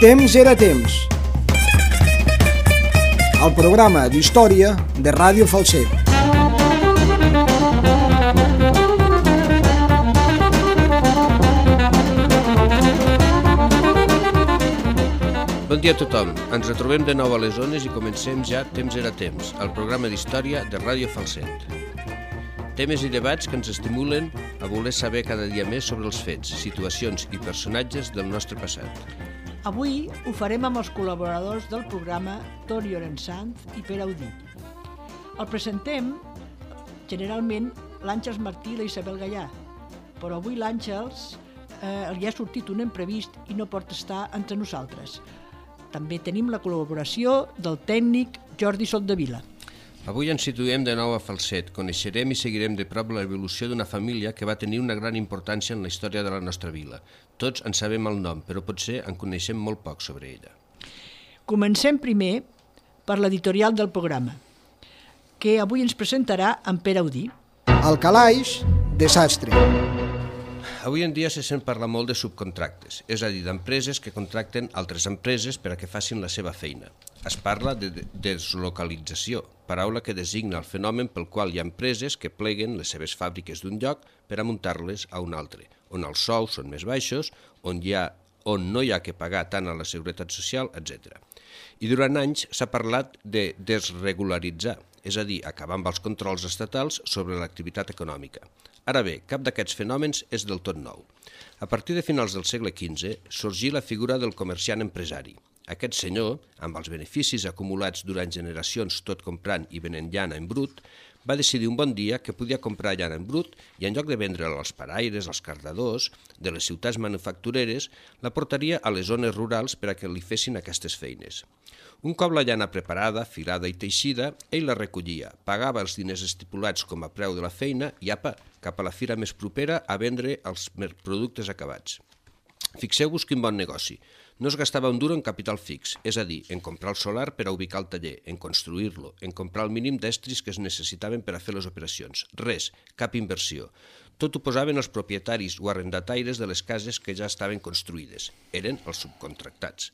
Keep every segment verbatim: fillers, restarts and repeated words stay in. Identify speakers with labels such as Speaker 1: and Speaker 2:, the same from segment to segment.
Speaker 1: Temps era temps. El programa d'història de Ràdio Falset.
Speaker 2: Bon dia a tothom. Ens retrobem de nou a les zones i comencem ja Temps era temps, el programa d'història de Ràdio Falset. Temes i debats que ens estimulen a voler saber cada dia més sobre els fets, situacions i personatges del nostre passat.
Speaker 3: Avui ho farem amb els col·laboradors del programa Toni Llorençanz i Pere Audí. El presentem generalment l'Àngels Martí i la Isabel Gallà, però avui l'Àngels eh, li ha sortit un imprevist i no pot estar entre nosaltres. També tenim la col·laboració del tècnic Jordi Soldevila.
Speaker 2: Avui ens situem de nou a Falset. Coneixerem i seguirem de prop l'evolució d'una família que va tenir una gran importància en la història de la nostra vila. Tots en sabem el nom, però potser en coneixem molt poc sobre ella.
Speaker 3: Comencem primer per l'editorial del programa, que avui ens presentarà en Pere Audí.
Speaker 1: El calaix, desastre.
Speaker 2: Avui en dia se sent parlar molt de subcontractes, és a dir, d'empreses que contracten altres empreses per a que facin la seva feina. Es parla de deslocalització, paraula que designa el fenomen pel qual hi ha empreses que pleguen les seves fàbriques d'un lloc per a muntar-les a un altre, on els sous són més baixos, on, hi ha, on no hi ha que pagar tant a la Seguretat Social, etcètera. I durant anys s'ha parlat de desregularitzar, és a dir, acabar amb els controls estatals sobre l'activitat econòmica. Ara bé, cap d'aquests fenòmens és del tot nou. A partir de finals del segle quinze sorgí la figura del comerciant empresari. Aquest senyor, amb els beneficis acumulats durant generacions tot comprant i venent llana en brut, va decidir un bon dia que podia comprar llana en brut i en lloc de vendre'la als paraires, als cardadors de les ciutats manufactureres, la portaria a les zones rurals per a que li fessin aquestes feines. Un cop la llana preparada, filada i teixida, ell la recollia, pagava els diners estipulats com a preu de la feina i apa, cap a la fira més propera a vendre els productes acabats. Fixeu-vos quin bon negoci. No es gastava un duro en capital fix, és a dir, en comprar el solar per a ubicar el taller, en construir-lo, en comprar el mínim d'estris que es necessitaven per a fer les operacions. Res, cap inversió. Tot ho posaven els propietaris o arrendataires de les cases que ja estaven construïdes. Eren els subcontractats.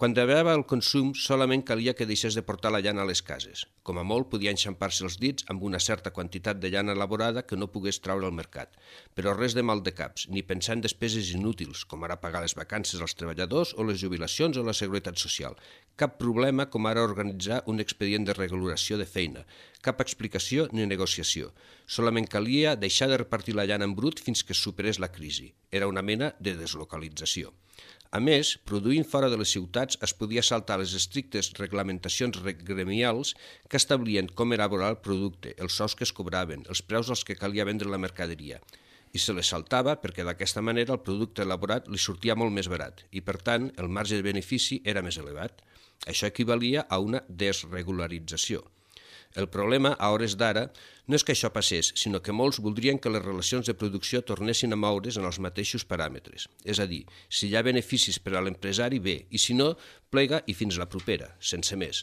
Speaker 2: Quan arribava el consum, solament calia que deixés de portar la llana a les cases. Com a molt, podia enxampar-se els dits amb una certa quantitat de llana elaborada que no pogués traure al mercat. Però res de mal de caps, ni pensar en despeses inútils, com ara pagar les vacances als treballadors o les jubilacions o la seguretat social. Cap problema com ara organitzar un expedient de regulació de feina. Cap explicació ni negociació. Solament calia deixar de repartir la llana en brut fins que es superés la crisi. Era una mena de deslocalització. A més, produint fora de les ciutats es podia saltar les estrictes reglamentacions gremials que establien com elaborar el producte, els sous que es cobraven, els preus als que calia vendre la mercaderia. I se les saltava perquè d'aquesta manera el producte elaborat li sortia molt més barat i, per tant, el marge de benefici era més elevat. Això equivalia a una desregularització. El problema, a hores d'ara, no és que això passés, sinó que molts voldrien que les relacions de producció tornessin a moure's en els mateixos paràmetres. És a dir, si hi ha beneficis per a l'empresari, bé, i si no, plega i fins la propera, sense més.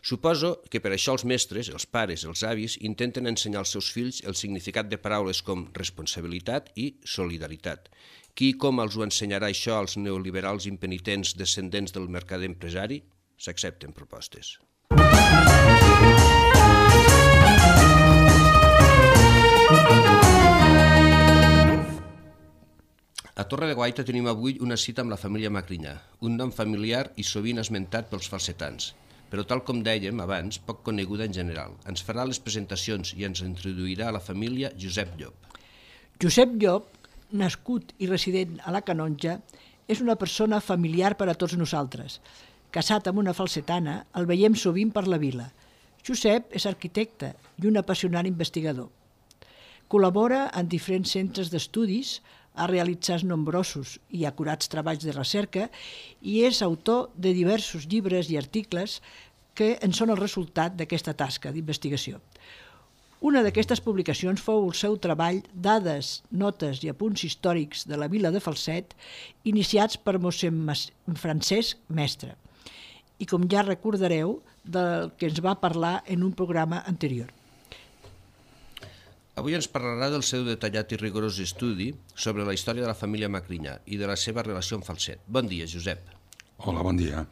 Speaker 2: Suposo que per això els mestres, els pares, els avis, intenten ensenyar als seus fills el significat de paraules com responsabilitat i solidaritat. Qui i com els ho ensenyarà això als neoliberals impenitents descendents del mercader empresari? S'accepten propostes. A Torre de Guaita tenim avui una cita amb la família Magrinyà, un nom familiar i sovint esmentat pels falsetans, però tal com dèiem abans, poc coneguda en general. Ens farà les presentacions i ens introduirà a la família Josep Llop.
Speaker 3: Josep Llop, nascut i resident a la Canonja, és una persona familiar per a tots nosaltres. Casat amb una falsetana, el veiem sovint per la vila. Josep és arquitecte i un apassionat investigador. Col·labora en diferents centres d'estudis, ha realitzat nombrosos i acurats treballs de recerca i és autor de diversos llibres i articles que en són el resultat d'aquesta tasca d'investigació. Una d'aquestes publicacions fou el seu treball Dades, notes i apunts històrics de la vila de Falset, iniciats per mossèn Francesc Mestre, i com ja recordareu, del que ens va parlar en un programa anterior.
Speaker 2: Avui ens parlarà del seu detallat i rigorós estudi sobre la història de la família Magrinyà i de la seva relació amb Falset. Bon dia, Josep.
Speaker 4: Hola, bon dia.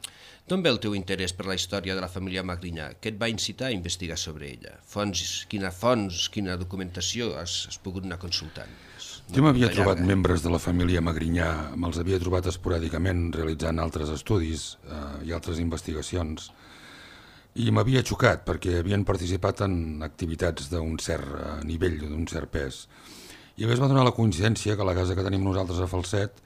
Speaker 2: D'on ve el teu interès per la història de la família Magrinyà? Què et va incitar a investigar sobre ella? Fonts, quina fonts, quina documentació has, has pogut anar consultant?
Speaker 4: Jo m'havia trobat membres de la família Magrinyà, me'ls havia trobat esporàdicament realitzant altres estudis eh, i altres investigacions, i m'havia xocat perquè havien participat en activitats d'un cert eh, nivell, d'un cert pes. I a més va donar la coincidència que la casa que tenim nosaltres a Falset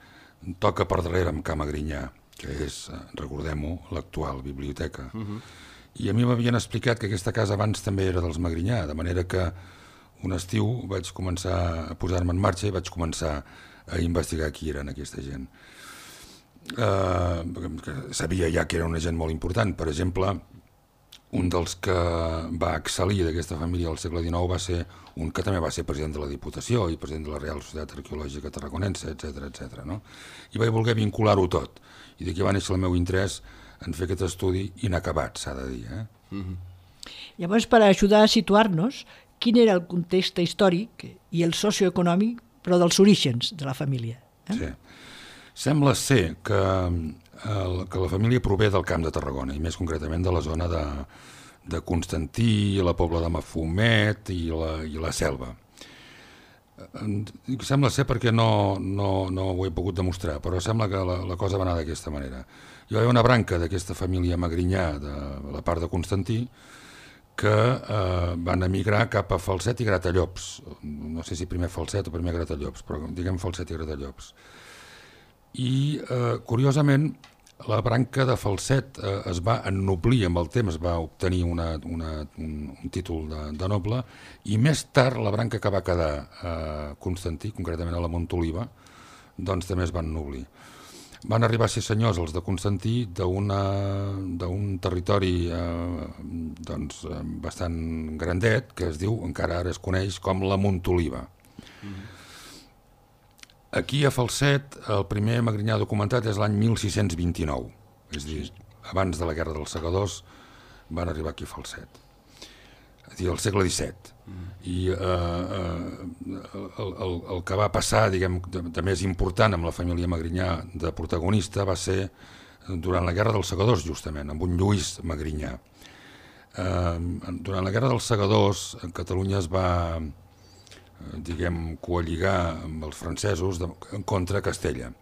Speaker 4: toca per darrere amb Ca Magrinyà, que és, recordem-ho, l'actual biblioteca. Uh-huh. I a mi m'havien explicat que aquesta casa abans també era dels Magrinyà, de manera que un estiu vaig començar a posar-me en marxa i vaig començar a investigar qui eren aquesta gent. Uh, sabia ja que era una gent molt important. Per exemple, un dels que va excel·lir d'aquesta família al segle dinou va ser un que també va ser president de la Diputació i president de la Real Societat Arqueològica Tarraconense, etcètera, etcètera, no? I vaig voler vincular-ho tot. I d'aquí va néixer el meu interès en fer aquest estudi inacabat, s'ha de dir. Eh?
Speaker 3: Mm-hmm. Llavors, per ajudar a situar-nos, quin era el context històric i el socioeconòmic, però dels orígens de la família? Eh?
Speaker 4: Sí. Sembla ser que, el, que la família prové del Camp de Tarragona, i més concretament de la zona de, de Constantí, la Pobla de Mafumet i la, i la Selva. Sembla ser perquè no, no, no ho he pogut demostrar, però sembla que la, la cosa va anar d'aquesta manera. Hi va haver una branca d'aquesta família Magrinyà de la part de Constantí que eh, van emigrar cap a Falset i Gratallops. No sé si primer Falset o primer Gratallops, però diguem Falset i Gratallops. I, eh, curiosament, la branca de Falset eh, es va ennoblir amb el temps, va obtenir una, una, un, un títol de, de noble, i més tard la branca que va quedar a Constantí, concretament a la Montoliva, doncs també es van ennoblir. Van arribar a ser senyors els de Constantí d'un territori eh, doncs, bastant grandet, que es diu, encara ara es coneix com la Montoliva. Mm-hmm. Aquí a Falset el primer Magrinyà documentat és l'any mil sis-cents vint-i-nou, és a dir, abans de la Guerra dels Segadors van arribar aquí a Falset, és a dir, al segle disset. Mm. I eh, eh, el, el, el que va passar, diguem, de, de més important amb la família Magrinyà de protagonista va ser durant la Guerra dels Segadors, justament, amb un Lluís Magrinyà. Eh, durant la Guerra dels Segadors, Catalunya es va, diguem, coalligar amb els francesos de, contra Castella.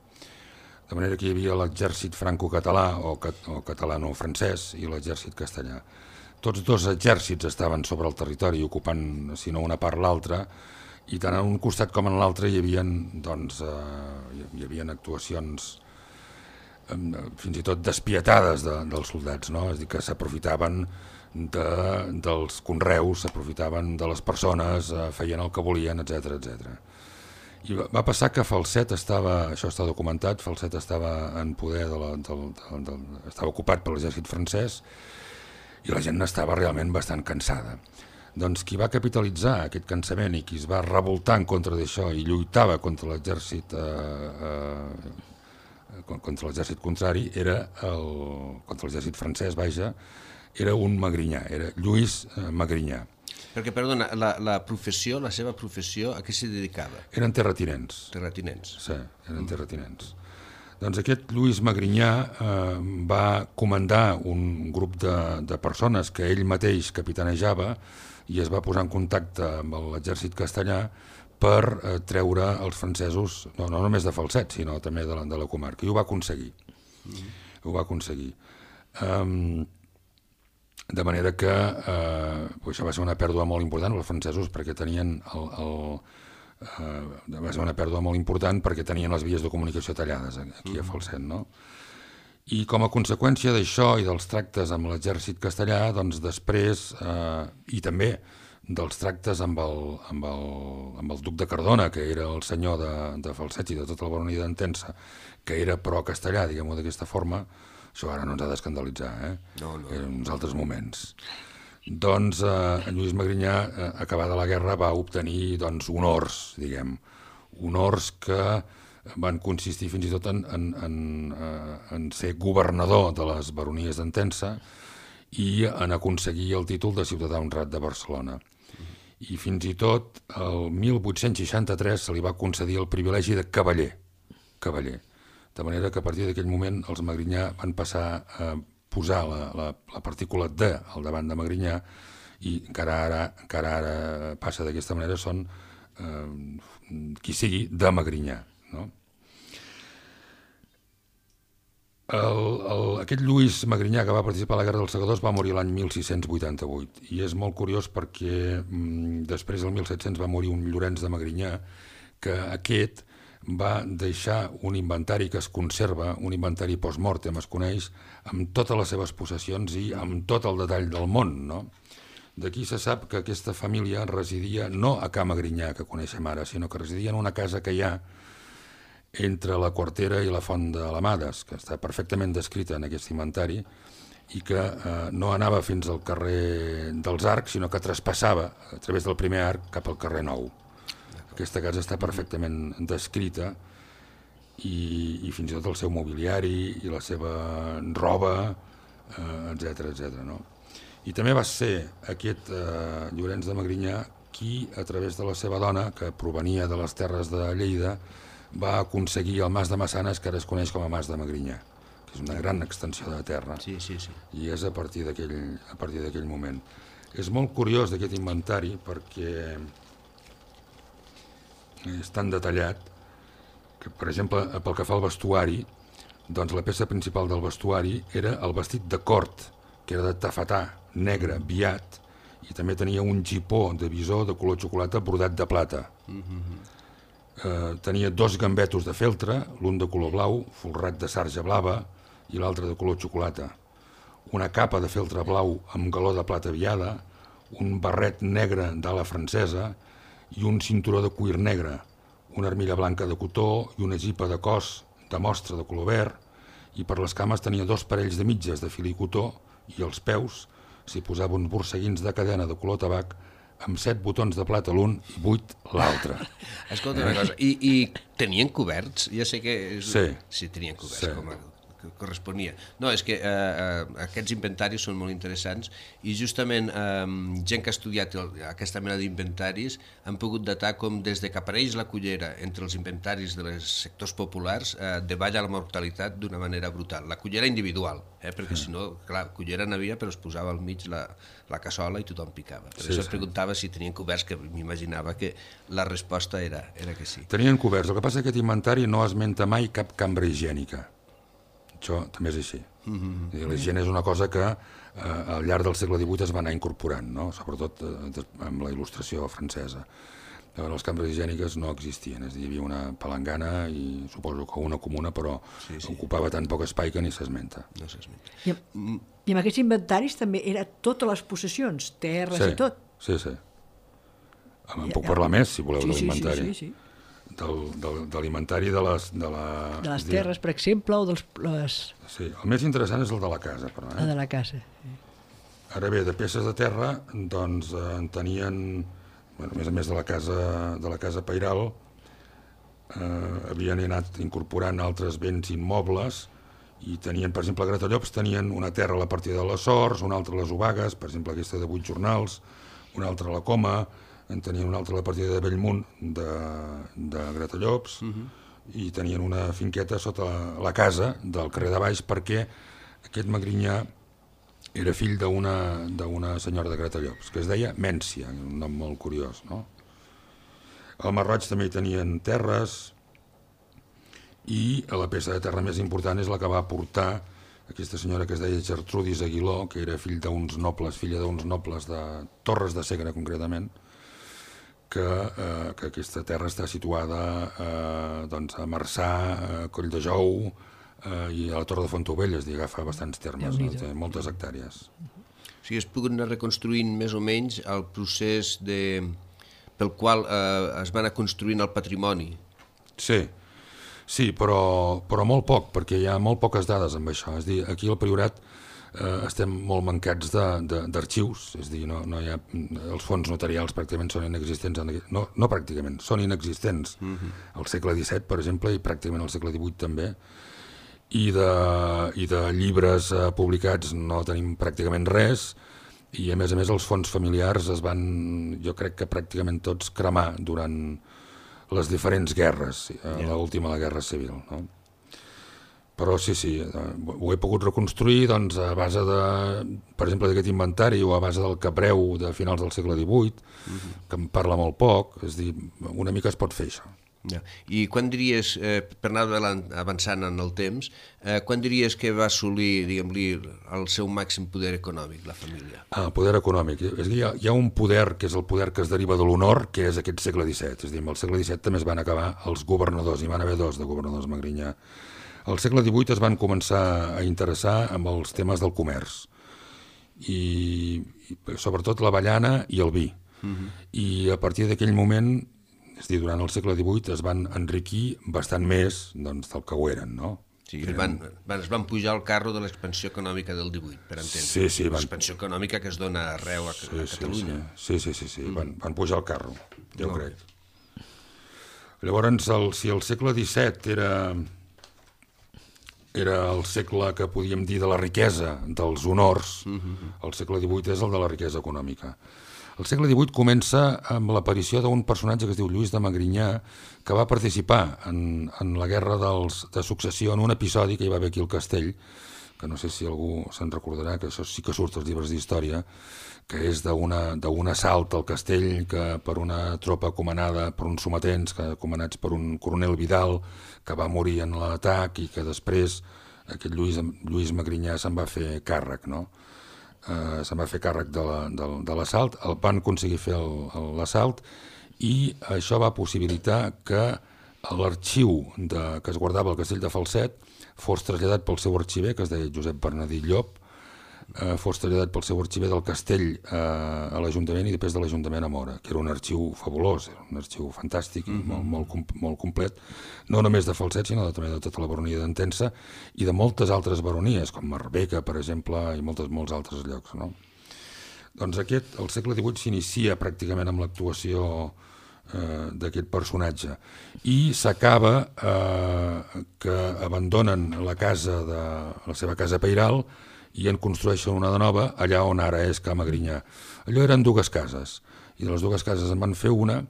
Speaker 4: De manera que hi havia l'exèrcit franco-català o, cat, o catalano-francès i l'exèrcit castellà. Tots dos exèrcits estaven sobre el territori ocupant, si no una part l'altra, i tant en un costat com en l'altre hi havia, doncs, eh, hi havia actuacions eh, fins i tot despietades de, dels soldats, no? És a dir, que s'aprofitaven de, dels conreus, s'aprofitaven de les persones, eh, feien el que volien, etcètera, etcètera. I va, va passar que Falset estava, això està documentat, Falset estava en poder, de la, del, del, del, estava ocupat per l'exèrcit francès, i la gent n'estava realment bastant cansada. Doncs qui va capitalitzar aquest cansament i qui es va revoltar en contra d'això i lluitava contra l'exèrcit eh, eh, contra l'exèrcit contrari, era el, contra l'exèrcit francès, vaja, era un Magrinyà, era Lluís eh, Magrinyà.
Speaker 2: Perquè, perdona, la, la professió, la seva professió, a què s'hi dedicava?
Speaker 4: Eren terratinents.
Speaker 2: Terratinents.
Speaker 4: Sí, eren terratinents. Doncs aquest Lluís Magrinyà eh, va comandar un grup de, de persones que ell mateix capitanejava i es va posar en contacte amb l'exèrcit castellà per eh, treure els francesos, no, no només de Falset, sinó també de la, de la comarca, i ho va aconseguir. Mm-hmm. Ho va aconseguir. Um, de manera que eh, això va ser una pèrdua molt important els francesos perquè tenien el... el Uh, va ser una pèrdua molt important perquè tenien les vies de comunicació tallades aquí a Falset, no? I com a conseqüència d'això i dels tractes amb l'exèrcit castellà, doncs després, uh, i també dels tractes amb el, amb, el, amb el duc de Cardona, que era el senyor de, de Falset i de tota la baronia d'Entença, que era pro-castellà, diguem-ho d'aquesta forma, això ara no ens ha d'escandalitzar, eh?
Speaker 2: No, no.
Speaker 4: En uns altres moments. Doncs eh, Lluís Magrinyà, eh, acabada la guerra, va obtenir doncs, honors, diguem, honors que van consistir fins i tot en, en, en, eh, en ser governador de les baronies d'Entença i en aconseguir el títol de ciutadà honrat de Barcelona. I fins i tot el mil vuit-cents seixanta-tres se li va concedir el privilegi de cavaller, cavaller, De manera que a partir d'aquell moment els Magrinyà van passar a posar la, la, la partícula de al davant de Magrinyà, i encara ara, encara ara passa d'aquesta manera, són eh, qui sigui de Magrinyà, no? El, el, aquest Lluís Magrinyà, que va participar a la Guerra dels Segadors, va morir l'any mil sis-cents vuitanta-vuit, i és molt curiós perquè mm, després del mil set-cents va morir un Llorenç de Magrinyà, que aquest va deixar un inventari que es conserva, un inventari post-mortem, es coneix, amb totes les seves possessions i amb tot el detall del món, no? D'aquí se sap que aquesta família residia no a Ca Magrinyà, que coneixem ara, sinó que residia en una casa que hi ha entre la Quartera i la Font de l'Amades, que està perfectament descrita en aquest inventari, i que eh, no anava fins al carrer dels Arcs, sinó que traspassava a través del primer arc cap al carrer Nou. Aquesta casa està perfectament descrita, i, i fins i tot el seu mobiliari i la seva roba, eh, etcètera, etcètera, no? I també va ser aquest eh, Llorenç de Magrinyà qui, a través de la seva dona, que provenia de les terres de Lleida, va aconseguir el Mas de Massanes, que ara es coneix com a Mas de Magrinyà, que és una gran extensió de terra.
Speaker 2: Sí, sí, sí.
Speaker 4: I és a partir d'aquell a partir d'aquell moment. És molt curiós d'aquest inventari perquè és tan detallat que, per exemple, pel que fa al vestuari, doncs la peça principal del vestuari era el vestit de cort, que era de tafetà, negre, viat, i també tenia un gipó de visó de color xocolata bordat de plata. Mm-hmm. eh, tenia dos gambetos de feltre, l'un de color blau, folrat de sarja blava, i l'altre de color xocolata. Una capa de feltre blau amb galó de plata viada, un barret negre d'ala francesa i un cinturó de cuir negre, una armilla blanca de cotó i una gipa de cos de mostra de color verd, i per les cames tenia dos parells de mitges de fil i cotó, i als peus s'hi posava uns borseguins de cadena de color tabac amb set botons de plata l'un i vuit l'altre.
Speaker 2: Escolta una cosa, i, i tenien coberts? Ja sé que... És...
Speaker 4: Sí.
Speaker 2: Sí, tenien coberts,
Speaker 4: Sí.
Speaker 2: com a... que corresponia. No, és que eh, eh, aquests inventaris són molt interessants i justament eh, gent que ha estudiat el, aquesta mena d'inventaris han pogut datar com des de que apareix la cullera entre els inventaris dels sectors populars eh, davalla la mortalitat d'una manera brutal. La cullera individual, eh, perquè si no, clar, cullera n'havia però es posava al mig la, la cassola i tothom picava. Per
Speaker 4: Sí,
Speaker 2: això
Speaker 4: sí.
Speaker 2: es preguntava si tenien coberts, que m'imaginava que la resposta era, era que sí.
Speaker 4: Tenien coberts. El que passa és que aquest inventari no esmenta mai cap cambra higiènica. Això també és així. Mm-hmm. La higiene és una cosa que eh, al llarg del segle divuit es va anar incorporant, no? Sobretot eh, amb la il·lustració francesa. Llavors, les cambres higièniques no existien, és a dir, hi havia una palangana i suposo que una comuna, però sí, sí. ocupava tan poc espai que ni s'esmenta.
Speaker 2: No s'esmenta.
Speaker 3: I, amb, I amb aquests inventaris també era totes les possessions, terres
Speaker 4: Sí,
Speaker 3: i tot.
Speaker 4: sí, sí. En
Speaker 3: Ja-
Speaker 4: puc
Speaker 3: ja-
Speaker 4: parlar més, si voleu,
Speaker 3: Sí,
Speaker 4: de
Speaker 3: sí, sí,
Speaker 4: l'inventari.
Speaker 3: sí, sí.
Speaker 4: Del, del, de l'inventari de les... De, la,
Speaker 3: De les
Speaker 4: és a dir,
Speaker 3: terres, per exemple, o dels, les,
Speaker 4: Sí, el més interessant és el de la casa, però,
Speaker 3: la
Speaker 4: eh?
Speaker 3: de la casa.
Speaker 4: Ara bé, de peces de terra, doncs eh, en tenien, bueno, a més a més de la casa, de la casa Pairal, eh, havien anat incorporant altres béns immobles i tenien, per exemple, a Gratallops tenien una terra a la partida de les Sorts, una altra a les Obagues, per exemple, aquesta de vuit jornals, una altra a la Coma, en tenien una altra a la partida de Bellmunt, de, de Gratallops, uh-huh. i tenien una finqueta sota la, la casa del carrer de Baix, perquè aquest Magrinyà era fill d'una d'una senyora de Gratallops, que es deia Mència, un nom molt curiós, no? Al Masroig també hi tenien terres, i la peça de terra més important és la que va aportar aquesta senyora que es deia Gertrudis Aguiló, que era fill d'uns nobles, filla d'uns nobles de Torres de Segre, concretament, que, eh, que aquesta terra està situada eh, doncs a Marçà, a Coll de Jou eh, i a la Torre de Fontaubella, és a dir, agafa bastants termes, no? Té moltes hectàrees.
Speaker 2: O sigui, es pogut anar reconstruint més o menys el procés de... pel qual eh, es va anar construint el patrimoni.
Speaker 4: Sí, sí, però, però molt poc, perquè hi ha molt poques dades amb això. És a dir, aquí al Priorat eh, estem molt mancats d'arxius, és a dir, no, no hi ha, els fons notarials pràcticament són inexistents, en, no, no pràcticament, són inexistents mm-hmm. al segle disset, per exemple, i pràcticament al segle divuit també, i de, i de llibres eh, publicats no tenim pràcticament res, i a més a més els fons familiars es van, jo crec que pràcticament tots cremar durant les diferents guerres, yeah. l'última la Guerra Civil, no? Però sí, sí, ho he pogut reconstruir doncs, a base de, per exemple, d'aquest inventari o a base del capreu de finals del segle divuit, uh-huh. que em parla molt poc, és dir, una mica es pot fer això.
Speaker 2: Ja. I quan diries, eh, per anar avançant en el temps, eh, quan diries que va assolir, diguem-li, el seu màxim poder econòmic, la família?
Speaker 4: Ah, poder econòmic. És que hi ha, hi ha un poder que és el poder que es deriva de l'honor, que és aquest segle disset. És a dir, al segle disset també es van acabar els governadors, hi van haver dos de governadors Magrinyà. Al segle divuit es van començar a interessar amb els temes del comerç, i, i sobretot l'avellana i el vi. Uh-huh. I a partir d'aquell moment, és a dir, durant el segle divuit es van enriquir bastant més doncs, del que ho eren, no?
Speaker 2: Sí, es van, van, es van pujar al carro de l'expansió econòmica del divuit, per entendre.
Speaker 4: Sí, sí, van...
Speaker 2: L'expansió econòmica que es dona arreu a,
Speaker 4: sí,
Speaker 2: a Catalunya.
Speaker 4: Sí, sí, sí, sí, sí. Mm. Van, van pujar al carro, jo
Speaker 2: no.
Speaker 4: crec. Llavors, el, si el segle disset era, era el segle que podíem dir de la riquesa, dels honors, mm-hmm. el segle divuit és el de la riquesa econòmica. El segle divuit comença amb l'aparició d'un personatge que es diu Lluís de Magrinyà, que va participar en, en la guerra dels, de successió en un episodi que hi va haver aquí al castell, que no sé si algú se'n recordarà, que això sí que surt als llibres d'història, que és d'un assalt al castell que per una tropa comandada per uns sometents, que, comandats per un coronel Vidal, que va morir en l'atac i que després aquest Lluís, Lluís Magrinyà se'n va fer càrrec, no? Uh, se'n va fer càrrec de l'assalt, la, el van aconseguir fer l'assalt i això va possibilitar que l'arxiu que es guardava al castell de Falset fos traslladat pel seu arxiver, que es deia Josep Bernadí Llop, uh, fos traslladat pel seu arxiver del castell uh, a l'Ajuntament i després de l'Ajuntament a Móra, que era un arxiu fabulós, era un arxiu fantàstic, mm-hmm. molt, molt, molt complet, no només de Falset, sinó de, també de tota la baronia d'Entença i de moltes altres baronies, com Marbella, per exemple, i moltes, molts altres llocs, no? Doncs aquest, el segle divuit s'inicia pràcticament amb l'actuació eh, d'aquest personatge i s'acaba eh, que abandonen la casa de la seva casa pairal i en construeixen una de nova allà on ara és Ca Magrinyà. Allò eren dues cases i de les dues cases en van fer una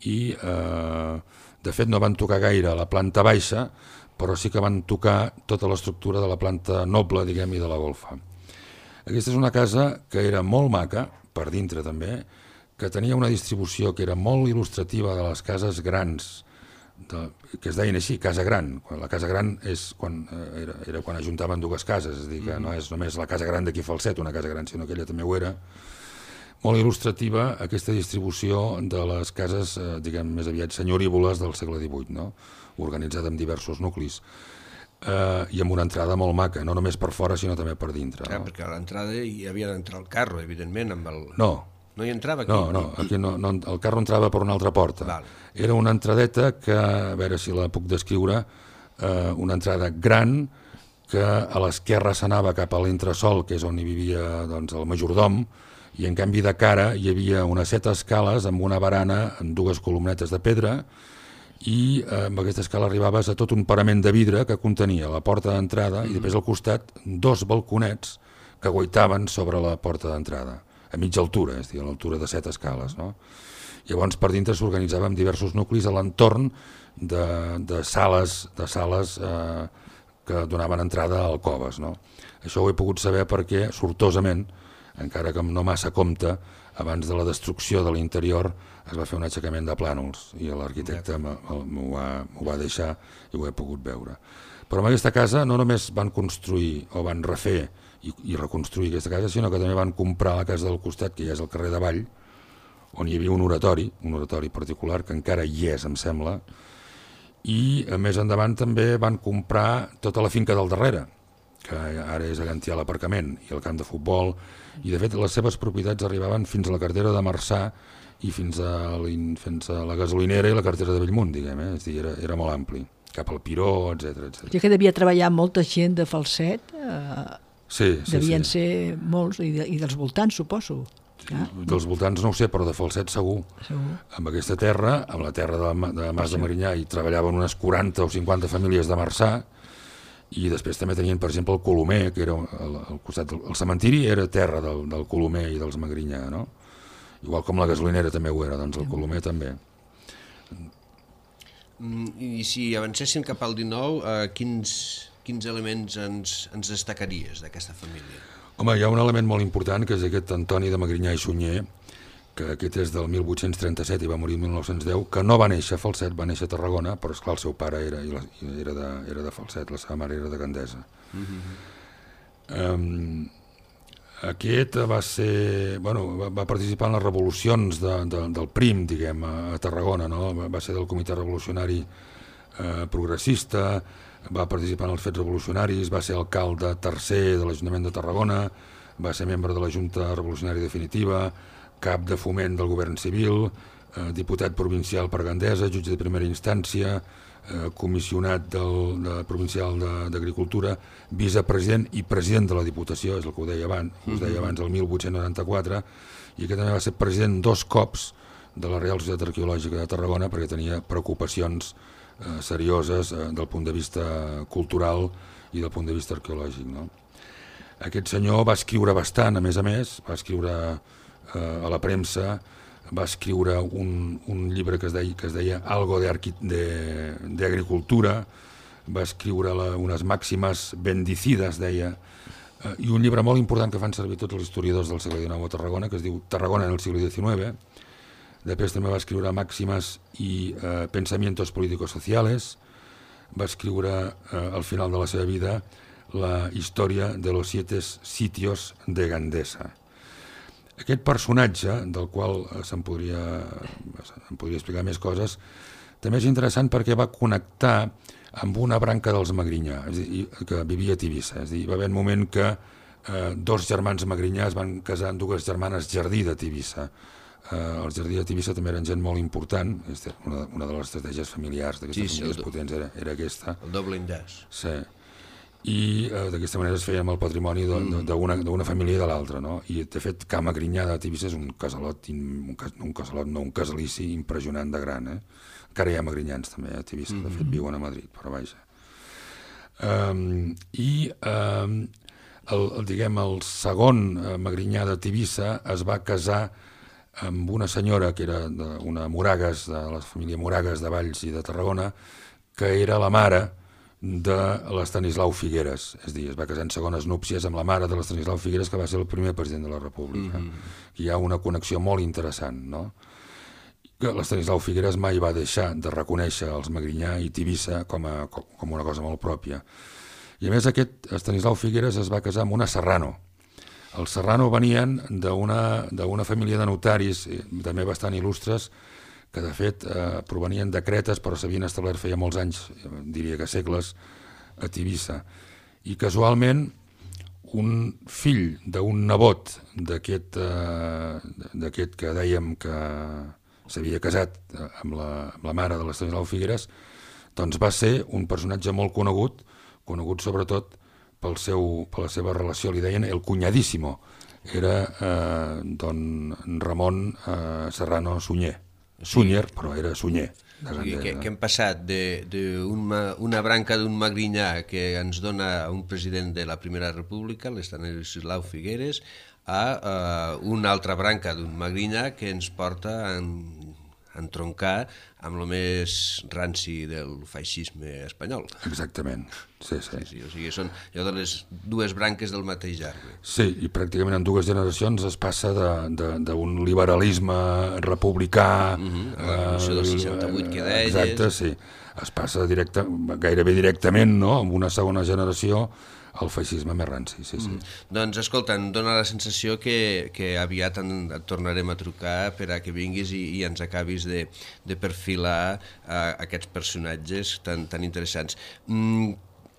Speaker 4: i eh, de fet no van tocar gaire a la planta baixa, però sí que van tocar tota l'estructura de la planta noble, diguem, i de la golfa. Aquesta és una casa que era molt maca, per dintre també, que tenia una distribució que era molt il·lustrativa de les cases grans, de, que es deien així, casa gran. La casa gran és quan, era, era quan ajuntaven dues cases, és a dir, que no és només la casa gran d'aquí Falset, una casa gran, sinó que ella també ho era. Molt il·lustrativa aquesta distribució de les cases, eh, diguem, més aviat senyorívoles del segle divuit, no? Organitzada en diversos nuclis. Uh, i amb una entrada molt maca, no només per fora sinó també per dintre.
Speaker 2: Clar,
Speaker 4: no?
Speaker 2: Perquè a l'entrada hi havia d'entrar el carro, evidentment. Amb el...
Speaker 4: No.
Speaker 2: No hi entrava aquí?
Speaker 4: No, no, aquí no, no, el carro entrava per una altra porta.
Speaker 2: Val.
Speaker 4: Era una entradeta que, a veure si la puc descriure, uh, una entrada gran que a l'esquerra s'anava cap a l'entresol, que és on hi vivia doncs, el majordom, i en canvi de cara hi havia unes set escales amb una barana amb dues columnetes de pedra i eh, amb aquesta escala arribaves a tot un parament de vidre que contenia la porta d'entrada mm-hmm. i després al costat dos balconets que guaitaven sobre la porta d'entrada, a mitja altura, és a dir, a l'altura de set escales. No? Llavors per dintre s'organitzava en diversos nuclis a l'entorn de, de sales, de sales eh, que donaven entrada a alcoves. No? Això ho he pogut saber perquè, sortosament, encara que no massa compte, abans de la destrucció de l'interior es va fer un aixecament de plànols i l'arquitecte m'ho va, va deixar i ho he pogut veure. Però en aquesta casa no només van construir o van refer i, i reconstruir aquesta casa, sinó que també van comprar la casa del costat, que ja és el carrer d'Avall, on hi havia un oratori, un oratori particular, que encara hi és, em sembla, i més endavant també van comprar tota la finca del darrere, que ara és allà on hi ha l'aparcament i el camp de futbol, i de fet les seves propietats arribaven fins a la cartera de Marçà i fins a, fins a la gasolinera i la cartera de Bellmunt, diguem, eh? És a dir, era, era molt ampli, cap al Piró, etcètera, etcètera.
Speaker 3: Ja que devia treballar molta gent de Falset, eh,
Speaker 4: sí, sí,
Speaker 3: devien
Speaker 4: sí.
Speaker 3: ser molts, i, de, i dels voltants, suposo.
Speaker 4: Ah. Dels voltants no ho sé, però de Falset segur.
Speaker 3: segur.
Speaker 4: Amb aquesta terra, amb la terra de, de Mas de Magrinyà, hi treballaven unes quaranta o cinquanta famílies de Marçà, i després també tenien, per exemple, el Colomer, que era al, al costat del el cementiri, era terra del, del Colomer i dels Magrinyà, no? Igual com la gasolinera també ho era, doncs el Colomer també.
Speaker 2: I si avancéssim cap al dinou, eh, quins, quins elements ens, ens destacaries d'aquesta família?
Speaker 4: Home, hi ha un element molt important, que és aquest Antoni de Magrinyà i Sunyer, que aquest és del mil vuit-cents trenta-set i va morir el mil nou-cents deu, que no va néixer a Falset, va néixer a Tarragona, però esclar, el seu pare era, era, de, era de Falset, la seva mare era de Gandesa. Mm-hmm. um, Aquest va ser, bueno, va, va participar en les revolucions de, de, del Prim, diguem, a, a Tarragona, no? Va ser del Comitè Revolucionari eh, Progressista, va participar en els fets revolucionaris, va ser alcalde tercer de l'Ajuntament de Tarragona, va ser membre de la Junta Revolucionària Definitiva, cap de foment del govern civil, eh, diputat provincial per Gandesa, jutge de primera instància, eh, comissionat del, de, provincial d'Agricultura, vicepresident i president de la Diputació, és el que ho deia abans, us deia abans, el mil vuit-cents noranta-quatre, i que també va ser president dos cops de la Real Societat Arqueològica de Tarragona, perquè tenia preocupacions eh, serioses eh, del punt de vista cultural i del punt de vista arqueològic, no? Aquest senyor va escriure bastant, a més a més, va escriure eh, a la premsa, va escriure un, un llibre que es deia, que es deia Algo de, de, de Agricultura, va escriure la, unes màximes bendicides, deia, eh, i un llibre molt important que fan servir tots els historiadors del segle dinou a Tarragona, que es diu Tarragona en el siglo diecinueve. Després també va escriure Màximes i eh, Pensamientos Políticos Sociales, va escriure eh, al final de la seva vida la història de los siete sitios de Gandesa. Aquest personatge, del qual se'n podria, se'n podria explicar més coses, també és interessant perquè va connectar amb una branca dels Magrinyà, és a dir, que vivia a Tivissa. És a dir, va haver un moment que eh, dos germans Magrinyà es van casar amb dues germanes Jardí de Tivissa. Eh, els Jardí de Tivissa també eren gent molt important, una, una de les estratègies familiars d'aquestes sí, famílies sí, potents era, era aquesta.
Speaker 2: El doble enllaç.
Speaker 4: Sí. I eh, d'aquesta manera es feia amb el patrimoni d'una família i de l'altra, no? I de fet Ca Magrinyà de Tivissa és un casalot, un, un casalot, no, un casalici impressionant de gran, eh? Encara hi ha magrinyans també a Tivissa, de fet viuen a Madrid, però vaja. Um, I um, el, el, diguem, el segon eh, Magrinyà de Tivissa es va casar amb una senyora que era de, una Moragues, de la família Moragues de Valls i de Tarragona, que era la mare de l'Estanislau Figueres, és a dir, es va casar en segones núpcies amb la mare de l'Estanislau Figueres, que va ser el primer president de la República. Mm-hmm. Hi ha una connexió molt interessant, no? Que l'Estanislau Figueres mai va deixar de reconèixer els Magrinyà i Tivissa com, a, com una cosa molt pròpia. I a més aquest Estanislau Figueres es va casar amb una Serrano. Els Serrano venien d'una família de notaris, també bastant il·lustres, que de fet eh, provenien de Cretes, però s'havien establert feia molts anys, diria que segles, a Tivissa. I casualment un fill d'un nebot d'aquest eh, que dèiem que s'havia casat amb la, amb la mare de l'Estanislau Figueres, doncs va ser un personatge molt conegut, conegut sobretot pel seu, per la seva relació, li deien el cunyadíssimo, era eh, don Ramon eh, Serrano Sunyer. Sunyer, però era Sunyer.
Speaker 2: O sigui, que, que hem passat d'una branca d'un Magrinyà que ens dona un president de la Primera República, l'Estanislau Figueres, a uh, una altra branca d'un Magrinyà que ens porta a entroncar amb el més ranci del feixisme espanyol.
Speaker 4: Exactament, sí, sí.
Speaker 2: sí, sí o sigui, són allò de les dues branques del mateix arbre.
Speaker 4: Sí, i pràcticament en dues generacions es passa d'un liberalisme republicà...
Speaker 2: Mm-hmm, la Revolució del seixanta-vuit que deies...
Speaker 4: Exacte, sí. Es passa directe, gairebé directament, no?, amb una segona generació, el feixisme més ranci, sí, sí. Mm.
Speaker 2: Doncs, escolta, em dóna la sensació que, que aviat en, et tornarem a trucar per a que vinguis i, i ens acabis de, de perfilar uh, aquests personatges tan, tan interessants. Mm,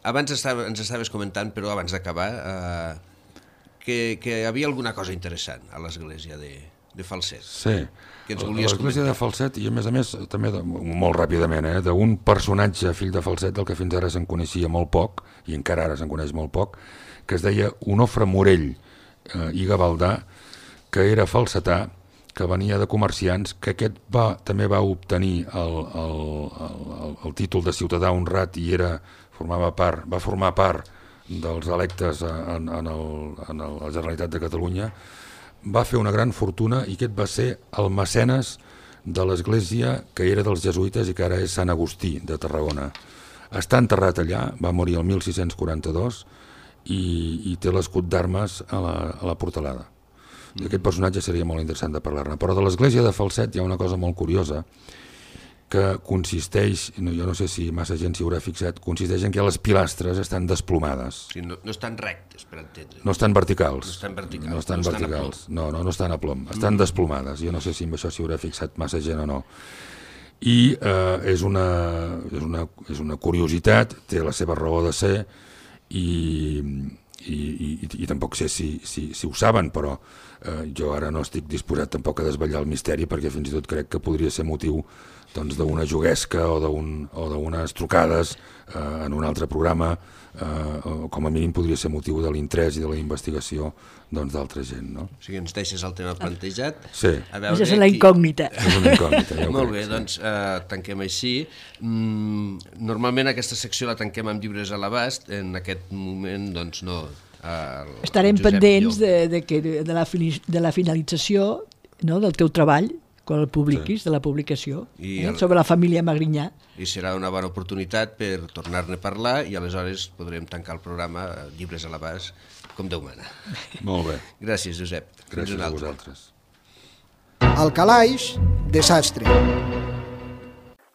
Speaker 2: abans estava, ens estaves comentant, però abans d'acabar, uh, que, que hi havia alguna cosa interessant a l'església de, de Falset.
Speaker 4: Sí,
Speaker 2: que ens volies
Speaker 4: l'església de Falset, i a més a més, també de, molt ràpidament, eh, d'un personatge fill de Falset del que fins ara se'n coneixia molt poc, i encara ara se'n coneix molt poc, que es deia Onofre Morell eh, i Gavaldà, que era falsetà, que venia de comerciants, que aquest va, també va obtenir el, el, el, el títol de ciutadà honrat i era, formava part, va formar part dels electes en, en, el, en el, la Generalitat de Catalunya, va fer una gran fortuna i aquest va ser el mecenes de l'església que era dels jesuïtes i que ara és Sant Agustí de Tarragona. Està enterrat allà, va morir el mil sis-cents quaranta-dos i, i té l'escut d'armes a, la, a la portalada. I aquest personatge seria molt interessant de parlar-ne. Però de l'església de Falset hi ha una cosa molt curiosa que consisteix, no, jo no sé si massa gent s'hi haurà fixat, consisteix en que les pilastres estan desplomades.
Speaker 2: Sí, no, no estan rectes, per entendre.
Speaker 4: No estan verticals.
Speaker 2: No estan verticals.
Speaker 4: No estan
Speaker 2: no
Speaker 4: verticals.
Speaker 2: Estan
Speaker 4: no, no, no estan a plom. Estan mm. desplomades. Jo no sé si amb això s'hi haurà fixat massa gent o no. I eh, és, una, és, una, és una curiositat, té la seva raó de ser i, i, i, i tampoc sé si, si, si ho saben, però eh, jo ara no estic disposat tampoc a desvetllar el misteri perquè fins i tot crec que podria ser motiu doncs, d'una juguesca o d'unes trucades eh, en un altre programa, eh, o com a mínim podria ser motiu de l'interès i de la investigació d'altra doncs, gent. No?
Speaker 2: O sigui, ens deixes el tema plantejat.
Speaker 4: Sí.
Speaker 3: Això és la incògnita.
Speaker 4: És una incògnita. Ja
Speaker 2: Molt
Speaker 4: crec,
Speaker 2: bé,
Speaker 4: sí.
Speaker 2: doncs eh, tanquem així. Mm, normalment aquesta secció la tanquem amb llibres a l'abast, en aquest moment doncs no. El,
Speaker 3: Estarem
Speaker 2: el
Speaker 3: pendents de, de, que, de, la, de la finalització, no, del teu treball, quan el publiquis, sí. de la publicació, eh, el... sobre la família Magrinyà.
Speaker 2: I serà una bona oportunitat per tornar-ne a parlar i aleshores podrem tancar el programa Llibres a l'abast, com Déu mana.
Speaker 4: Molt bé.
Speaker 2: Gràcies, Josep.
Speaker 4: Gràcies a vosaltres.
Speaker 1: Al calaix de sastre.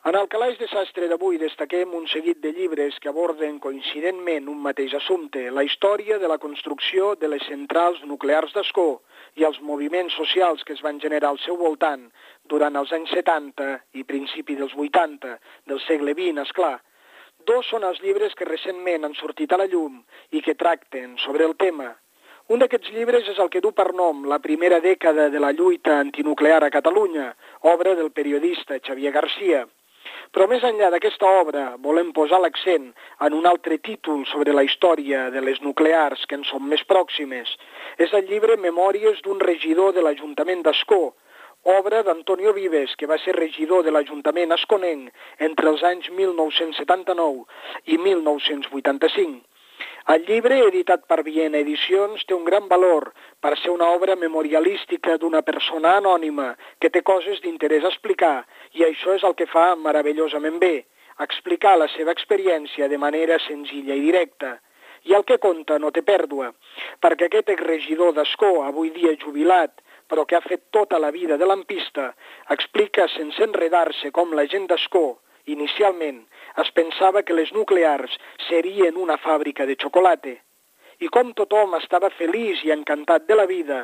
Speaker 5: En el calaix de sastre d'avui destaquem un seguit de llibres que aborden coincidentment un mateix assumpte, la història de la construcció de les centrals nuclears d'Ascó i els moviments socials que es van generar al seu voltant durant els anys setanta i principi dels vuitanta del segle vint, esclar. Dos són els llibres que recentment han sortit a la llum i que tracten sobre el tema. Un d'aquests llibres és el que du per nom La primera dècada de la lluita antinuclear a Catalunya, obra del periodista Xavier Garcia. Però més enllà d'aquesta obra volem posar l'accent en un altre títol sobre la història de les nuclears que ens són més pròximes. És el llibre Memòries d'un regidor de l'Ajuntament d'Ascó, obra d'Antonio Vives, que va ser regidor de l'Ajuntament asconenc entre els anys mil nou-cents setanta-nou i mil nou-cents vuitanta-cinc. El llibre, editat per Viena Edicions, té un gran valor per ser una obra memorialística d'una persona anònima que té coses d'interès a explicar, i això és el que fa meravellosament bé, explicar la seva experiència de manera senzilla i directa. I el que conta no té pèrdua, perquè aquest exregidor d'Ascó, avui dia jubilat, però que ha fet tota la vida de lampista, explica sense enredar-se com la gent d'Ascó, inicialment, es pensava que les nuclears serien una fàbrica de xocolata. I com tothom estava feliç i encantat de la vida,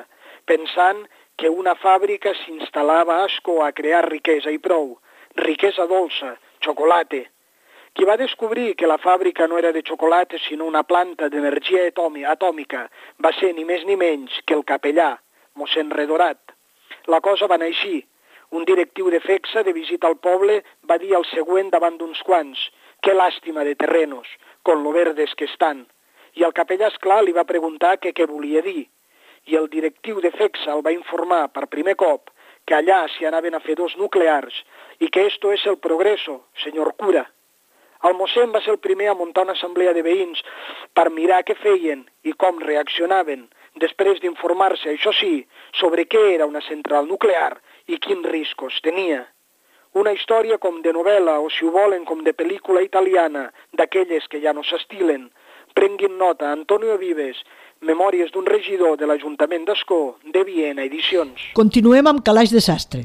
Speaker 5: pensant que una fàbrica s'instal·lava a Ascó a crear riquesa i prou, riquesa dolça, xocolata. Qui va descobrir que la fàbrica no era de xocolata sinó una planta d'energia atòmica va ser ni més ni menys que el capellà, mossèn Redorat. La cosa va anar així. Un directiu de FECSA de visita al poble va dir el següent davant d'uns quants: «Que làstima de terrenos, con lo verdes que estan». I el capellà, esclar, li va preguntar que què volia dir. I el directiu de FECSA el va informar per primer cop que allà s'hi anaven a fer dos nuclears i que esto es el progreso, senyor cura. El mossèn va ser el primer a muntar una assemblea de veïns per mirar què feien i com reaccionaven, després d'informar-se, això sí, sobre què era una central nuclear i quins riscos tenia. Una història com de novel·la o, si ho volen, com de pel·lícula italiana, d'aquelles que ja no s'estilen. Prenguin nota, Antonio Vives, Memòries d'un regidor de l'Ajuntament d'Ascó, de Viena Edicions.
Speaker 3: Continuem amb Calaix de Sastre.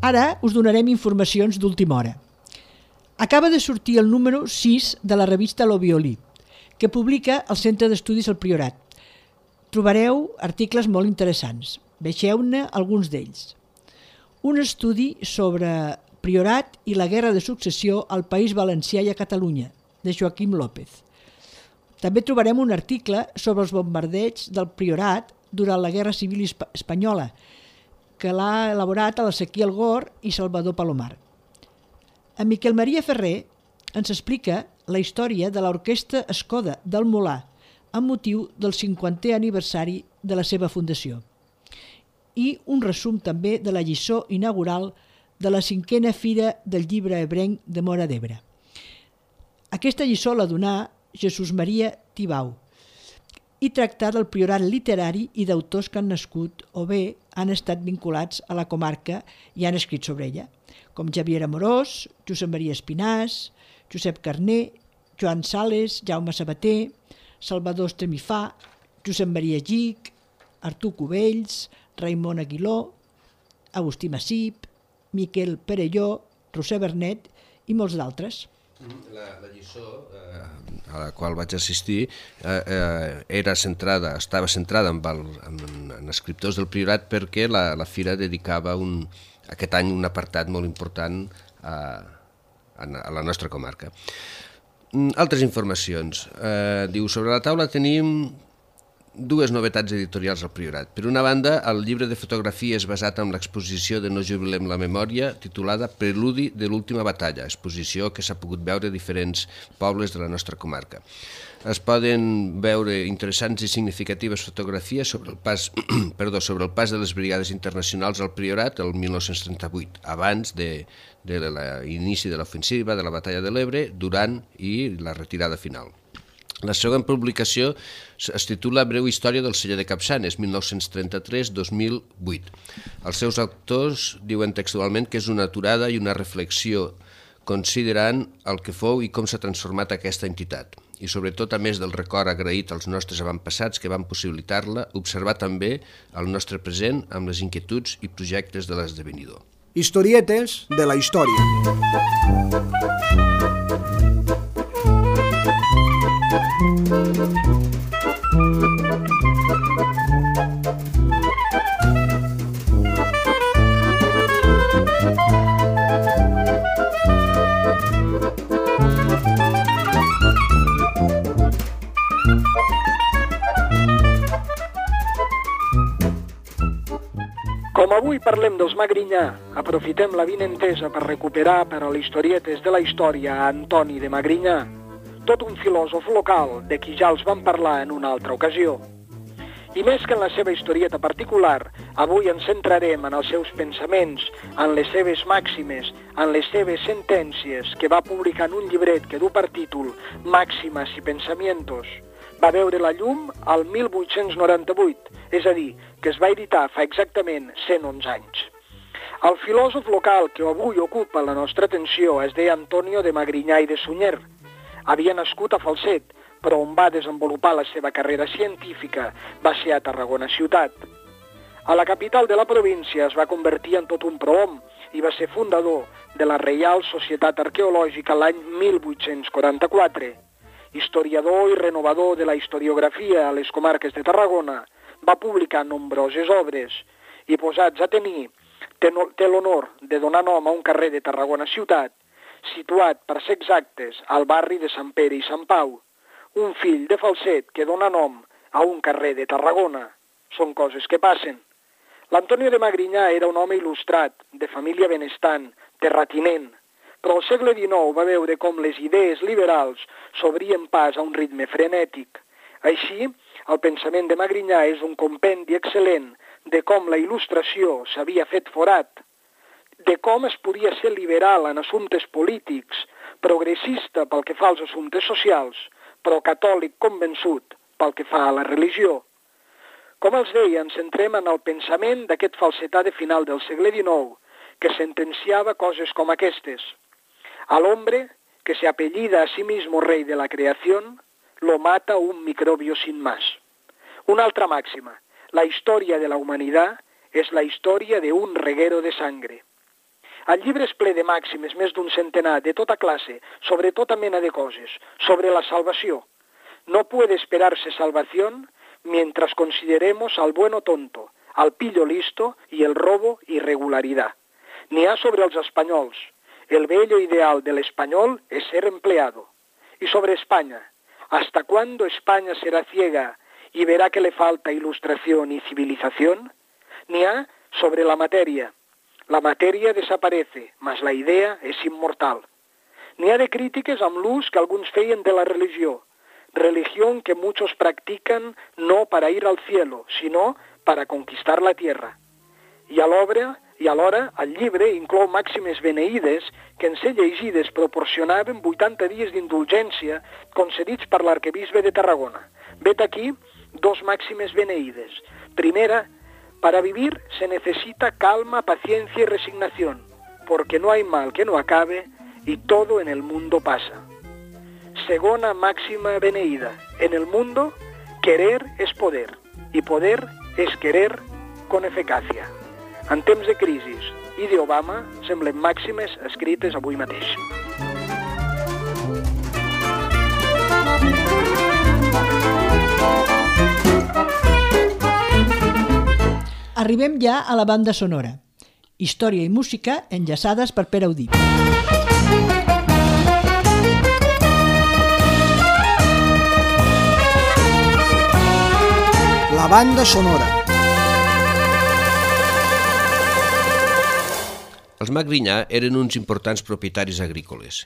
Speaker 3: Ara us donarem informacions d'última hora. Acaba de sortir el número sis de la revista Lo Violí, que publica el Centre d'Estudis El Priorat. Trobareu articles molt interessants. Vegeu-ne alguns d'ells. Un estudi sobre Priorat i la guerra de successió al País Valencià i a Catalunya, de Joaquim López. També trobarem un article sobre els bombardeigs del Priorat durant la Guerra Civil Espanyola, que l'ha elaborat l'Ezequiel Gor i Salvador Palomar. En Miquel Maria Ferrer ens explica la història de l'Orquestra Escoda del Molar amb motiu del cinquantè aniversari de la seva fundació, i un resum també de la lliçó inaugural de la cinquena Fira del Llibre Ebrenc de Móra d'Ebre. Aquesta lliçó la donà Jesús Maria Tibau i tractar del priorat literari i d'autors que han nascut o bé han estat vinculats a la comarca i han escrit sobre ella, com Javier Amorós, Josep Maria Espinàs, Josep Carner Joan Sales, Jaume Sabater, Salvador Estemifà, Josep Maria Gich, Artur Cubells, Raimon Aguiló, Agustí Massip, Miquel Perelló, Roser Bernet i molts d'altres.
Speaker 2: La, la lliçó eh, a la qual vaig assistir eh, eh, era centrada, estava centrada en, el, en, en escriptors del Priorat perquè la, la fira dedicava un, aquest any un apartat molt important a, a la nostra comarca. Altres informacions. Eh, diu, sobre la taula tenim dues novetats editorials al Priorat. Per una banda, el llibre de fotografies basat en l'exposició de No jubilem la memòria, titulada Preludi de l'última batalla, exposició que s'ha pogut veure a diferents pobles de la nostra comarca. Es poden veure interessants i significatives fotografies sobre el pas, perdó, sobre el pas de les brigades internacionals al Priorat el mil nou-cents trenta-vuit, abans de, de l'inici de l'ofensiva de la batalla de l'Ebre, durant i la retirada final. La següent publicació es titula Breu història del celler de Capçanes, mil nou-cents trenta-tres a dos mil vuit. Els seus autors diuen textualment que és una aturada i una reflexió considerant el que fou i com s'ha transformat aquesta entitat. I sobretot, a més del record agraït als nostres avantpassats que van possibilitar-la, observar també el nostre present amb les inquietuds i projectes de l'esdevenidor.
Speaker 1: Historietes de la història.
Speaker 5: Com avui parlem dels Magrinyà, aprofitem la vinentesa per recuperar per a l'historietes de la història a Antoni de Magrinyà, tot un filòsof local de qui ja els vam parlar en una altra ocasió. I més que en la seva historieta particular, avui ens centrarem en els seus pensaments, en les seves màximes, en les seves sentències que va publicar en un llibret que du per títol Màximas i Pensamientos. Va veure la llum al mil vuit-cents noranta-vuit, és a dir, que es va editar fa exactament cent onze anys. El filòsof local que avui ocupa la nostra atenció es deia Antonio de Magrinyà i de Sunyer. Havia nascut a Falset, però on va desenvolupar la seva carrera científica va ser a Tarragona ciutat. A la capital de la província es va convertir en tot un prohom i va ser fundador de la Reial Societat Arqueològica l'any mil vuit-cents quaranta-quatre. Historiador i renovador de la historiografia a les comarques de Tarragona, va publicar nombroses obres i, posats a tenir, té l'honor de donar nom a un carrer de Tarragona ciutat, situat, per ser exactes, al barri de Sant Pere i Sant Pau, un fill de Falset que dona nom a un carrer de Tarragona. Són coses que passen. L'Antonio de Magrinyà era un home il·lustrat, de família benestant, terratinent, però al segle dinou va veure com les idees liberals s'obrien pas a un ritme frenètic. Així, el pensament de Magrinyà és un compendi excel·lent de com la il·lustració s'havia fet forat, de com es podia ser liberal en assumptes polítics, progressista pel que fa als assumptes socials, però catòlic convençut pel que fa a la religió. Com els deia, ens centrem en el pensament d'aquest falsetà de final del segle dinou, que sentenciava coses com aquestes. Al hombre, que se apellida a sí mismo rey de la creación, lo mata un microbio sin más. Una altra màxima, la història de la humanitat és la història de un reguero de sangre. El llibre és ple de màximes, més d'un centenar, de tota classe, sobre tota mena de coses, sobre la salvació. No puede esperarse salvación mientras consideremos al bueno tonto, al pillo listo y el robo irregularidad. N'hi ha sobre els espanyols. El bello ideal del español es ser empleado. Y sobre España, ¿hasta cuándo España será ciega y verá que le falta ilustración y civilización? N'hi ha sobre la materia. La materia desaparece, mas la idea es inmortal. N'hi ha de crítiques amb l'ús que alguns feien de la religió. Religión que muchos practican no para ir al cielo, sino para conquistar la tierra. I a l'obra, i alhora, el llibre inclou màximes beneïdes que en ser llegides proporcionaven vuitanta dies d'indulgència concedits per l'arquebisbe de Tarragona. Vet aquí dos màximes beneïdes. Primera, para vivir se necesita calma, paciencia y resignación, porque no hay mal que no acabe y todo en el mundo pasa. segona máxima beneïda. En el mundo, querer és poder, i poder és querer con eficàcia. En temps de crisi i d'Obama semblen màximes escrites avui mateix.
Speaker 3: Arribem ja a la banda sonora. Història i música enllaçades per Pere Audí.
Speaker 1: La banda sonora.
Speaker 2: Els Magrinyà eren uns importants propietaris agrícoles.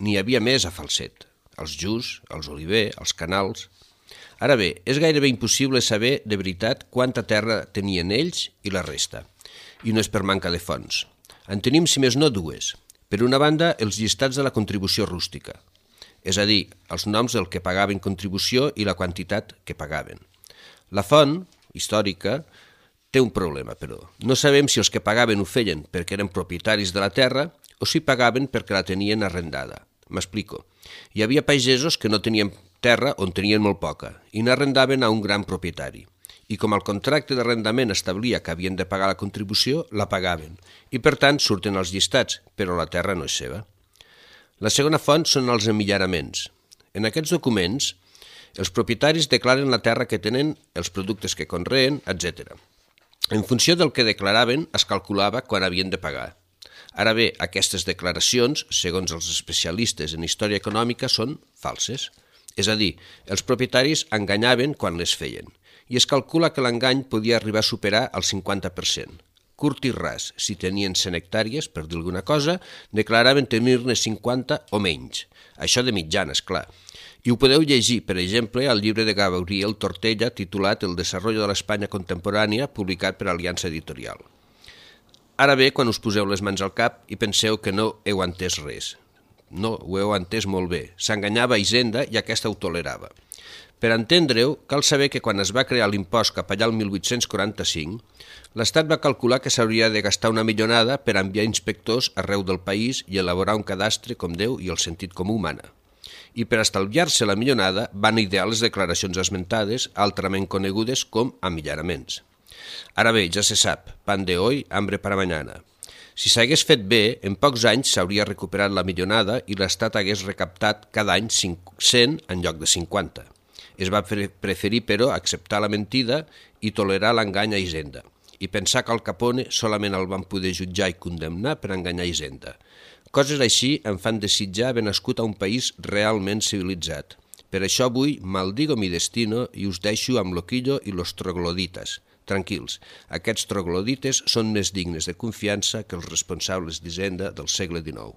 Speaker 2: N'hi havia més a Falset. Els Just, els Oliver, els Canals... Ara bé, és gairebé impossible saber de veritat quanta terra tenien ells i la resta. I no és per manca de fonts. En tenim, si més no, dues. Per una banda, els llistats de la contribució rústica. És a dir, els noms del que pagaven contribució i la quantitat que pagaven. La font, històrica, té un problema, però. No sabem si els que pagaven ho feien perquè eren propietaris de la terra o si pagaven perquè la tenien arrendada. M'explico. Hi havia pagesos que no tenien terra on tenien molt poca i n'arrendaven a un gran propietari. I com el contracte d'arrendament establia que havien de pagar la contribució, la pagaven. I per tant surten els llistats, però la terra no és seva. La segona font són els emillaraments. En aquests documents, els propietaris declaren la terra que tenen, els productes que conreen, etcètera. En funció del que declaraven, es calculava quan havien de pagar. Ara bé, aquestes declaracions, segons els especialistes en història econòmica, són falses. És a dir, els propietaris enganyaven quan les feien, i es calcula que l'engany podia arribar a superar el cinquanta per cent. Curt i ras, si tenien cent hectàrees, per dir alguna cosa, declaraven tenir-ne cinquanta o menys. Això de mitjana, és clar. I ho podeu llegir, per exemple, al llibre de Gabriel Tortella titulat El desarrollo de l'Espanya contemporània, publicat per Aliança Editorial. Ara bé, quan us poseu les mans al cap i penseu que no heu entès res. No, ho heu entès molt bé. S'enganyava a Hisenda i aquesta ho tolerava. Per entendre-ho, cal saber que quan es va crear l'impost cap allà el mil vuit-cents quaranta-cinc, l'Estat va calcular que s'hauria de gastar una millonada per enviar inspectors arreu del país i elaborar un cadastre com Déu i el sentit comú mana. I per estalviar-se la millonada van idear les declaracions esmentades, altrament conegudes com amillaraments. Ara bé, ja se sap, pan de hoy, hambre para mañana. Si s'hagués fet bé, en pocs anys s'hauria recuperat la millonada i l'Estat hagués recaptat cada any cent en lloc de cinquanta. Es va preferir, però, acceptar la mentida i tolerar l'engany a Hisenda, i pensar que al Capone solament el van poder jutjar i condemnar per enganyar Hisenda. Coses així em fan desitjar haver nascut a un país realment civilitzat. Per això avui maldigo mi destino i us deixo amb Loquillo i los trogloditas. Tranquils, aquests troglodites són més dignes de confiança que els responsables d'Hisenda del segle dinou.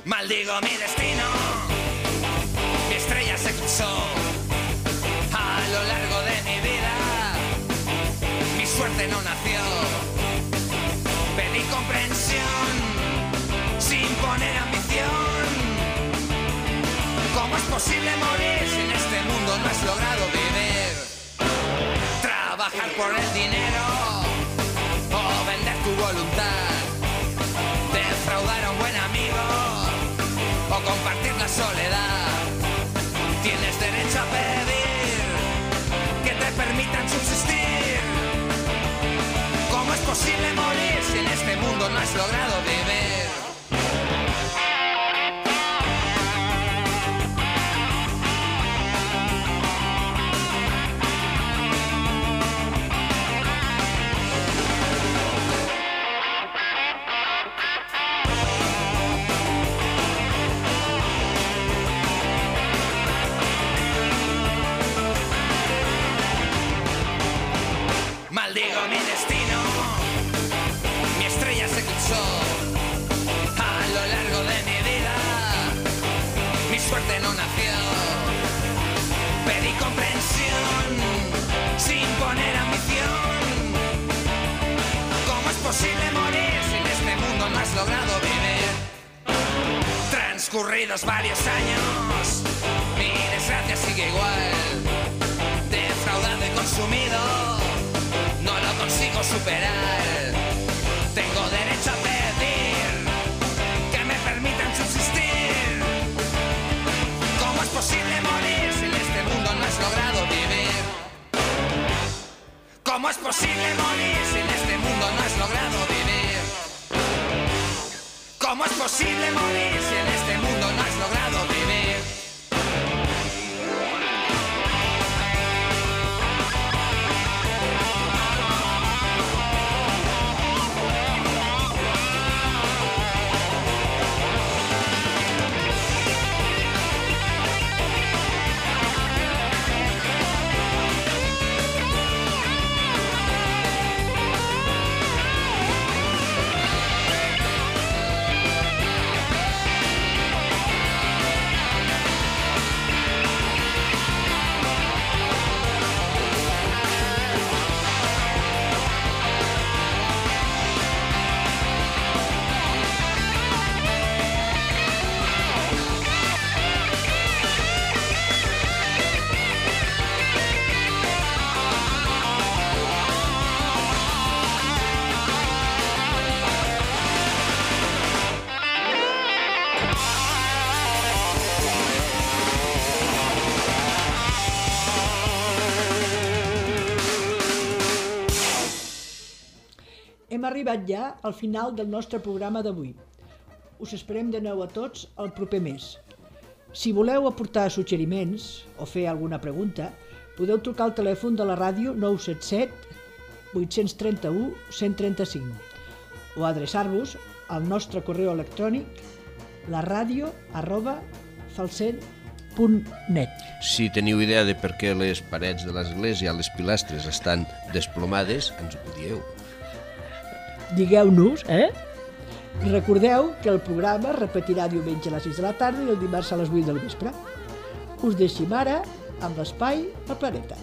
Speaker 6: Maldigo mi destino, mi estrella se cruzó a lo largo de mi vida, mi suerte no nació, pedí comprensión sin poner ambición. ¿Cómo es posible morir si en este mundo no has logrado vivir? Trabajar por el dinero o vender tu voluntad, defraudar a un buen amigo o compartir la soledad. Tienes derecho a pedir que te permitan subsistir. ¿Cómo es posible morir si en este mundo no has logrado vivir? Maldigo mi destino, mi estrella se cruzó a lo largo de mi vida, mi suerte no nació, pedí comprensión sin poner ambición. ¿Cómo es posible morir si en este mundo no has logrado vivir? Transcurridos varios años, mi desgracia sigue igual, defraudado y consumido. superar. Tengo derecho a pedir que me permitan subsistir. ¿Cómo es posible morir si en este mundo no has logrado vivir? ¿Cómo es posible morir si en este mundo no has logrado vivir? ¿Cómo es posible morir si en este mundo no has logrado vivir?
Speaker 3: Hem arribat ja al final del nostre programa d'avui. Us esperem de nou a tots el proper mes. Si voleu aportar suggeriments o fer alguna pregunta, podeu trucar al telèfon de la ràdio nou set set vuit tres u un cent trenta-cinc o adreçar-vos al nostre correu electrònic laradio arroba falset punt net.
Speaker 2: Si teniu idea de per què les parets de l'església, les pilastres, estan desplomades, ens ho dieu.
Speaker 3: Digueu-nos, eh? I recordeu que el programa es repetirà diumenge a les sis de la tarda i el dimarts a les vuit del vespre. Us deixem ara amb l'espai al planeta.